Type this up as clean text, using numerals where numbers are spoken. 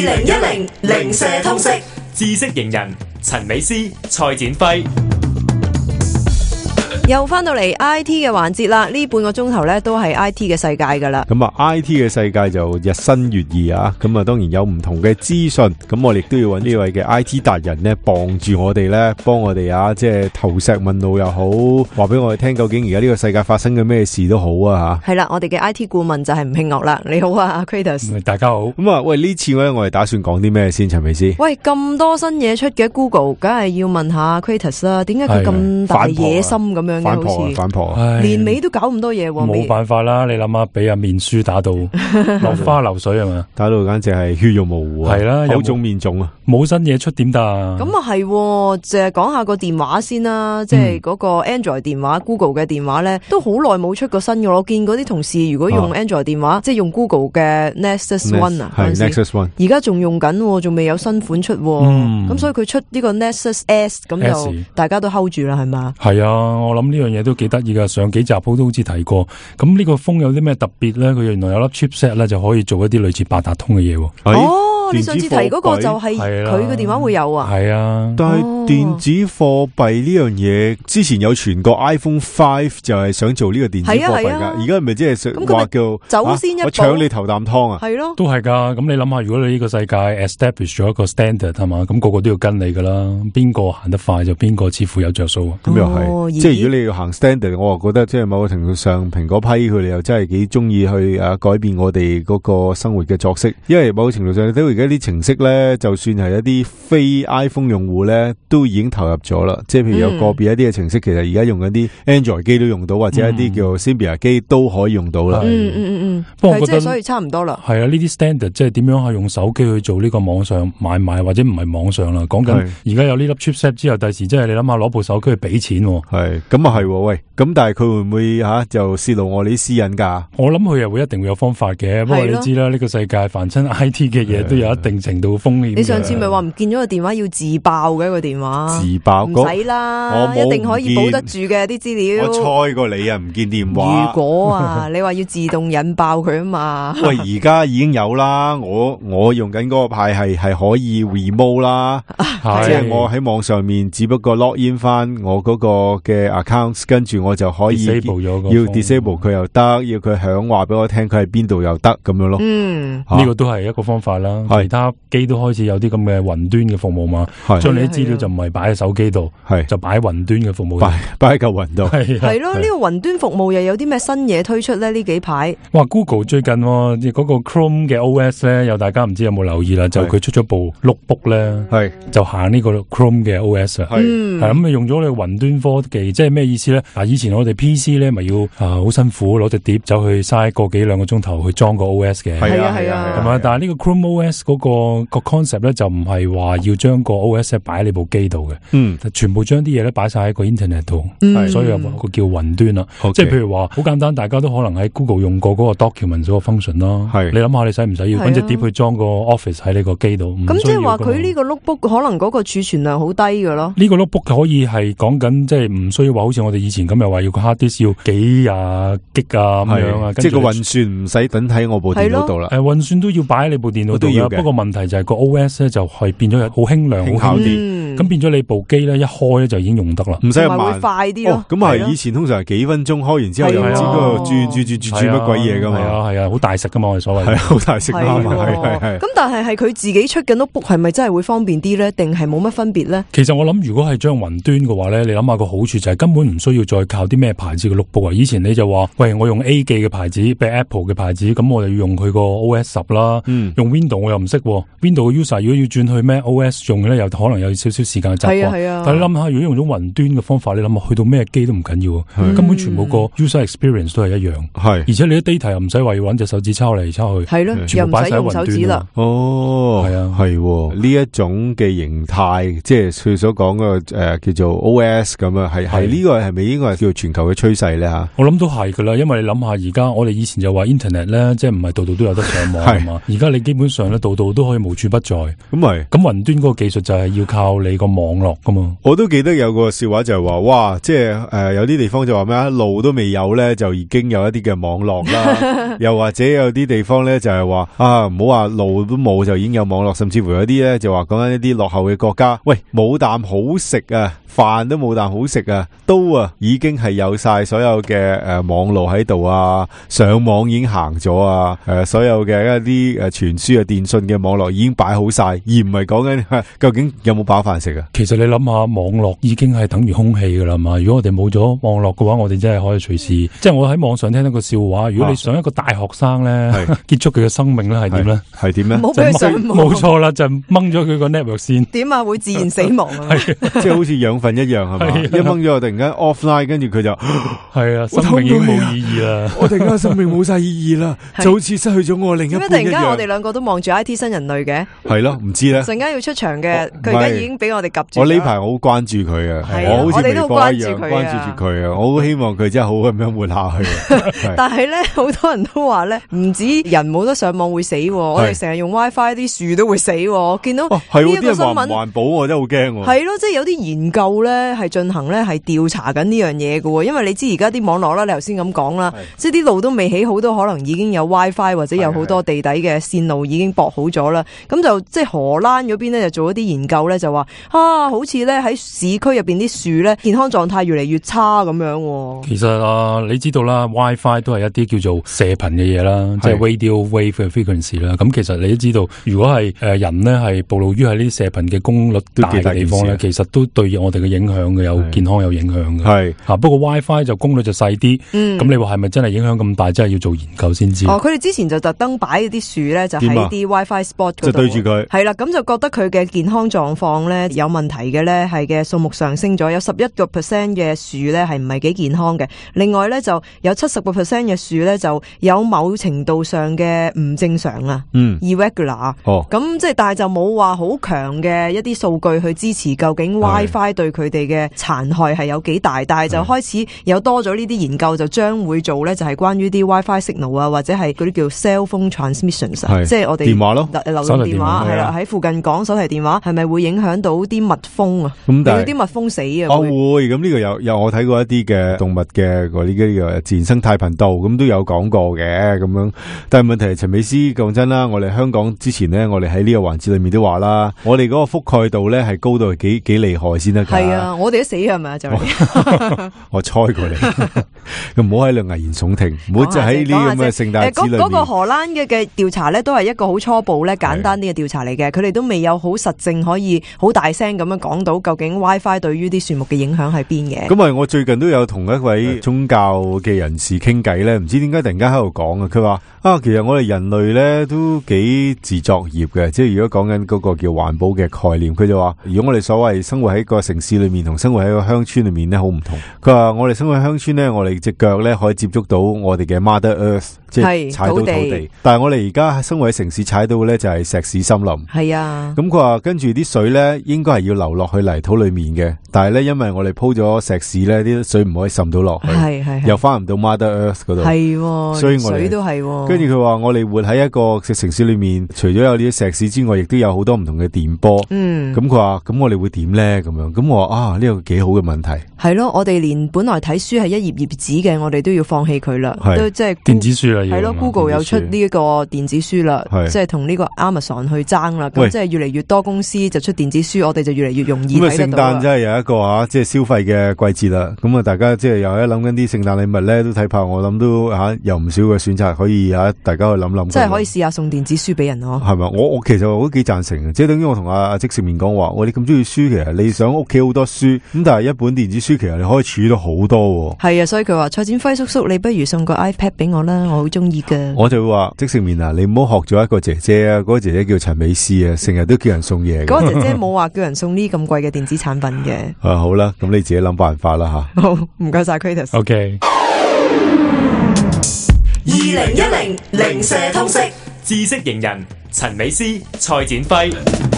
2010零舍通識知識型人陳美詩、蔡展輝。又翻到嚟 IT 嘅環節啦，呢半個鐘頭呢都係 IT 嘅世界噶啦。咁啊 IT 嘅世界就日新月異啊，咁啊當然有唔同嘅資訊，咁我哋都要揾呢位嘅 IT 達人呢幫住我哋呢，幫我哋啊，即係投石問路又好，話俾我哋聽究竟而家呢個世界發生嘅咩事都好啊吓。係啦，我哋嘅 IT 顧問就係吳慶岳啦。你好啊 Kratos。大家好。咁啊喂，呢次呢我哋打算講啲咩先，陳美詩？喂，咁多新嘢出嘅 Google， 梗係要問下 Kratos 啦。點解佢咁大野心咁樣嘅？反婆年尾都搞咁多嘢喎。冇辦法啦，你諗下俾阿面書打到落花流水係嘛？打到簡直係血肉模糊啊！係啦，口腫面腫啊！冇新嘢出點得啊？咁啊係，淨係講下個電話先啦，即係嗰個 Android 電話、Google 嘅電話咧，都好耐冇出過新嘅。我見嗰啲同事如果用 Android 電話，即係用 Google 嘅 Nexus One 啊，係 Nexus One， 而家仲用緊，仲未有新款出。咁所以佢出呢個 Nexus S， 咁就大家都 hold 住啦，係嘛？係啊，我諗呢樣嘢都幾得意噶。上幾集都好似提過。咁呢個風有啲咩特別咧？佢原來有粒 chipset 咧，就可以做一啲類似八達通嘅嘢。你上次提嗰個就係佢嘅電話會有啊？係啊，但係電子貨幣呢樣嘢之前有傳過 iPhone 5就係想做呢個電子貨幣噶，而家係咪即係話叫走先一步，我搶你頭啖湯啊？係咯，都係噶。咁你諗下，如果你呢個世界 establish 咗一個 standard 係嘛，咁個個都要跟你噶啦。邊個行得快就邊個似乎有着數。咁又係，即係如果你要行 standard，我覺得即係某個程度上，蘋果批佢哋又真係幾中意去改變我哋嗰個生活嘅作息，因為某個程度上你睇到而家啲程式咧，就算係一啲非 iPhone 用戶咧，都已經投入咗啦。即係譬如有個別一啲嘅程式，其實而家用緊啲 Android 機都用到，或者一啲叫 Symbian 機都可以用到啦。不過我覺得所以差唔多啦。係啊，呢啲 standard 即係點樣係用手機去做呢個網上買賣，或者唔係網上啦。講緊而家有呢粒 chipset 之後，第時即係你諗下攞部手機去俾錢。係咁啊係喂，咁但係佢會唔會就泄露我哋啲私隱噶？我諗佢又會一定會有方法嘅。不過你知啦，呢個世界凡親 IT 嘅嘢都有一定程度風險。你上次咪話唔見咗個電話要自爆嘅，個電話自爆唔使啦，一定可以保得住嘅啲資料。我猜過你啊，唔見電話。如果你話要自動引爆佢啊嘛？喂，而家已經有啦，我用緊嗰個牌係可以 remote 啦，即係我喺網上面只不過 log in 翻我嗰個嘅 accounts， 跟住我就可以要 disable 佢又得，要佢響話俾我聽佢喺邊度又得咁樣咯。呢個都係一個方法啦。其他機都開始有啲咁嘅雲端嘅服務嘛，將你啲資料就唔係擺喺手機度，就擺喺雲端嘅服務度，擺喺嚿雲度。係咯，呢個雲端服務又有啲咩新嘢推出咧？呢幾排哇 ，Google 最近嗰個 Chrome 嘅 OS 咧，有大家唔知有冇留意啦？就佢出咗部 notebook 咧，就行呢個 Chrome 嘅 OS 啊，係咁用咗你雲端科技，即係咩意思咧？以前我哋 PC 咧咪要好辛苦攞隻碟走去嘥個幾兩個鐘頭去裝個 OS 嘅，係啊，係嘛？但係呢個 Chrome OS 嗰個 concept 咧就唔係話要將個 OS 擺喺你部機度嘅，全部將啲嘢咧擺晒喺個 internet 度，所以有個叫雲端啦。即係譬如話好簡單，大家都可能喺 Google 用過嗰個 document 嗰個 function 啦。你諗下，你使唔使要搵隻碟去裝個 Office 喺你個機度？咁即係話佢呢個 notebook 可能嗰個儲存量好低㗎咯。呢個 notebook 可以係講緊即係唔需要話好似我哋以前咁又話要個 hard disk 要幾廿 G 啊咁樣啊，即係個運算唔使等喺我部電腦度啦。運算都要擺喺你部電腦度嘅。不過問題就係個 OS 咧就係變咗好輕量、好輕啲，咁變咗你部機咧一開咧就已經用得啦，唔使咁慢，會快啲咯。咁係以前通常係幾分鐘開完之後又唔知嗰度轉乜鬼嘢噶嘛。係啊，好大食噶嘛，我哋所謂係好大食啦嘛。係。咁但係佢自己出嘅 notebook 係咪真係會方便啲咧？定係冇乜分別咧？其實我諗如果係將雲端嘅話咧，你諗下個好處就係根本唔需要再靠啲咩牌子嘅 notebook 啊。以前你就話喂，我用 A 記嘅牌子，譬如 Apple 嘅牌子，咁我就要用佢個 OS 10啦。用 Windows 我又唔識，Windows 嘅 user 如果要轉去咩 OS 用咧，又可能有少少時間習慣。但係你諗下，如果用咗雲端嘅方法，你諗下去到咩機都唔緊要，根本全部個 user experience 都係一樣。而且你啲 data 又唔使話要搵隻手指抄嚟抄去，全部擺晒喺雲端啦。係呢一種嘅形態，即係佢所講嘅叫做 OS 咁啊，係呢個係咪應該係叫全球嘅趨勢咧吓？我諗都係噶啦，因為你諗下而家我哋以前就話 internet 咧，即係唔係度度都有得上網啊嘛。而家你基本上咧度度都可以無處不在。咁雲端嗰個技術就係要靠你理個網絡噶嘛。我都記得有個笑話就係話，哇，即係有啲地方就話咩啊，路都未有咧，就已經有一啲嘅網絡啦。又或者有啲地方咧就係話啊，唔好話路都冇就已經有網絡，甚至乎有啲咧就話講緊一啲落後嘅國家，喂，冇啖好食啊，飯都冇啖好食啊，都已經係有晒所有嘅網路喺度啊，上網已經行咗啊，所有嘅一啲傳輸電信嘅網絡已經擺好晒，而唔係講緊究竟有冇飽飯食啊。其實你諗下，網絡已經係等於空氣噶啦嘛。如果我哋冇咗網絡嘅話，我哋真係可以隨時，即係我喺網上聽到個笑話，如果你想一個大學生咧結束佢嘅生命咧，係點咧？係點咧？冇俾佢上網，冇錯啦，就掹咗佢個 network 線。點啊？會自然死亡啊？即係好似養分一樣係嘛？一掹咗突然間 offline， 跟住佢就係啊，生命已經冇意義啦。我突然間生命冇晒意義啦，就好似失去咗我另一半一樣。突然間我哋兩個都望住 IT 新人類嘅，係咯，唔知咧。陣間要出場嘅，佢而家已經俾我哋及住。我呢排好關注佢啊，我好似微博一樣關注住佢啊。我好希望佢真係好咁樣活下去。但係咧，好多人都話咧，唔止人冇得上網會死，我哋成日用 WiFi 啲樹都會死。我見到呢一個新聞，環保我真係好驚。係咯，即係有啲研究咧係進行咧係調查緊呢樣嘢嘅，因為你知而家啲網絡啦，你頭先咁講啦，即係啲路都未起好，都可能已經有 WiFi 或者有好多地底嘅線路已經駁好咗啦。咁就即係荷蘭嗰邊咧就做一啲研究咧，就話好似咧喺市區入邊啲樹咧健康狀態越嚟越差咁樣。其實你知道啦 ，WiFi 都係一啲叫做射頻嘅嘢啦，即係 radio wave 嘅 frequency 啦。咁其實你都知道，如果係人咧係暴露於喺呢啲射頻嘅功率大嘅地方咧，其實都對我哋嘅影響嘅，有健康有影響嘅。係吓，不過 WiFi 就功率就細啲。咁你話係咪真係影響咁大？真係要做研究先知。佢哋之前就特登擺啲樹咧，就喺啲 WiFi spot 嗰度，就對住佢。係啦，咁就覺得佢嘅健康狀況咧有問題嘅咧，係嘅數目上升咗，有11% 嘅樹咧係唔係幾健康嘅。另外咧就有70% 嘅樹咧就有某程度上嘅唔正常啊，irregular。咁即係但係就冇話好強嘅一啲數據去支持究竟 WiFi 對佢哋嘅殘害係有幾大，但係就開始有多咗呢啲研究，就將會做咧就係關於啲 WiFi signal 啊，或者係嗰啲叫 cell phone transmissions， 即係我哋電話咯，流動電話係啦，喺附近講手提電話係咪會影響到啲蜜蜂啊？令到啲蜜蜂死啊？會咁呢個有我睇過一啲嘅動物嘅嗰啲嘅自然生態頻道咁都有講過嘅咁樣，但係問題係陳美斯講真啦，我哋香港之前咧，我哋喺呢個環節裏面都話啦，我哋嗰個覆蓋度咧係高到幾厲害先得㗎。係啊，我哋都死係咪啊？就我猜過你，唔好喺度危言聳聽，唔好就喺呢咁嘅聖誕節裏面。嗰個荷蘭嘅調查咧，都係一個好初步咧、簡單啲嘅調查嚟嘅。佢哋都未有好實證可以好大聲咁樣講到究竟 WiFi 對於啲樹木嘅影響係邊嘅。咁我最近都有同一位宗教嘅人士傾偈咧，唔知點解突然間喺度講啊？佢話其實我哋人類咧都幾自作孽嘅，即係如果講緊嗰個叫環保嘅概念，佢就話如果我哋所謂生活喺個城市裏面同生活喺個鄉村裏面咧好唔同。佢話我哋生活喺鄉村咧，我哋隻腳咧可以接觸到我哋嘅 Mother Earth， 即係踩到土地。但係我哋而家生活喺城市踩到咧就係石屎森林。係啊。咁佢話跟住啲水咧應該係要流落去泥土裏面嘅，但係咧因為我哋鋪咗石屎咧，啲水唔可以滲到落去，係又翻唔到 Mother Earth 嗰度。係，所以我哋水都係。跟住佢話我哋活喺一個城市裏面，除咗有呢啲石屎之外，亦都有好多唔同嘅電波。咁佢話咁我哋會點咧？咁樣咁我話呢個幾好嘅問題。係咯，我哋連本來睇書係一頁頁紙嘅，我哋都要放棄佢啦，都即係電子書啦。係咯 ，Google 又出呢一個電子書啦，即係同呢個 Amazon 去爭啦。咁即係越嚟越多公司就出電子書，我哋就越嚟越容易睇得到。咁聖誕真係有一個即係消費嘅季節啦。咁大家即係又喺諗緊啲聖誕禮物咧，都睇怕我諗都有唔少嘅選擇可以大家去諗諗。即係可以試下送電子書俾人咯。係咪？我其實我都幾贊成嘅，即係等於我同阿即食麵講話，你咁中意書，其實你想屋企好多書，咁但係一本電子書其實你可以儲到好多。係啊，所以佢話蔡展輝叔叔，你不如送個 iPad 俾我啦，我好中意噶。我就會話即食麵啊，你唔好學咗一個姐姐啊，嗰個姐姐叫陳美斯啊，成日都叫人送嘢。嗰個姐姐冇話叫人送呢咁貴嘅電子產品嘅。好啦，咁你自己諗辦法啦吓。好，唔該晒 Kratos。OK。2010零舍通識知識型人陳美斯、蔡展輝。